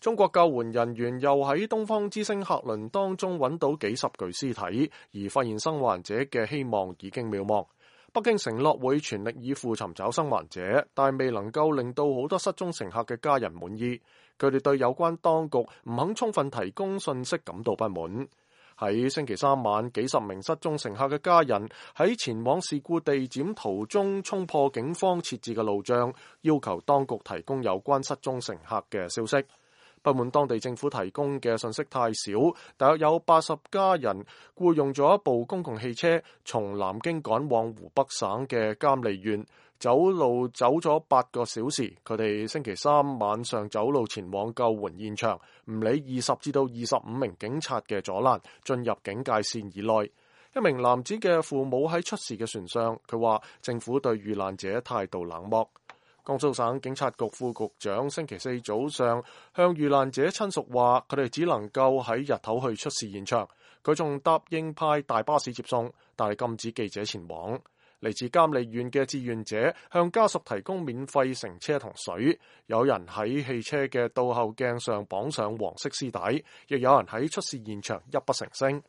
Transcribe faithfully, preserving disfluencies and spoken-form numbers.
中國救援人員又喺東方之星客輪當中揾到幾十具屍體，而發現生還者嘅希望已經渺茫。北京承諾會全力以赴尋找生還者，但未能夠令到好多失蹤乘客嘅家人滿意。佢哋對有關當局唔肯充分提供信息感到不滿。喺星期三晚，幾十名失蹤乘客嘅家人喺前往事故地點途中衝破警方設置嘅路障，要求當局提供有關失蹤乘客嘅消息。不滿當地政府提供嘅信息太少，大約有八十家人僱用咗一部公共汽車，從南京趕往湖北省嘅監利縣，走路走咗八個小時。佢哋星期三晚上走路前往救援現場，唔理二十至到二十五名警察嘅阻攔，進入警戒線以內。一名男子嘅父母喺出事嘅船上，佢話政府對遇難者態度冷漠。江蘇省警察局副局長星期四早上向遇難者親屬話，佢哋只能夠喺日頭去出事現場。佢仲答應派大巴士接送，但係禁止記者前往。嚟自監利縣嘅志願者向家屬提供免費乘車同水，有人喺汽車嘅倒後鏡上綁上黃色絲帶，亦有人喺出事現場泣不成聲。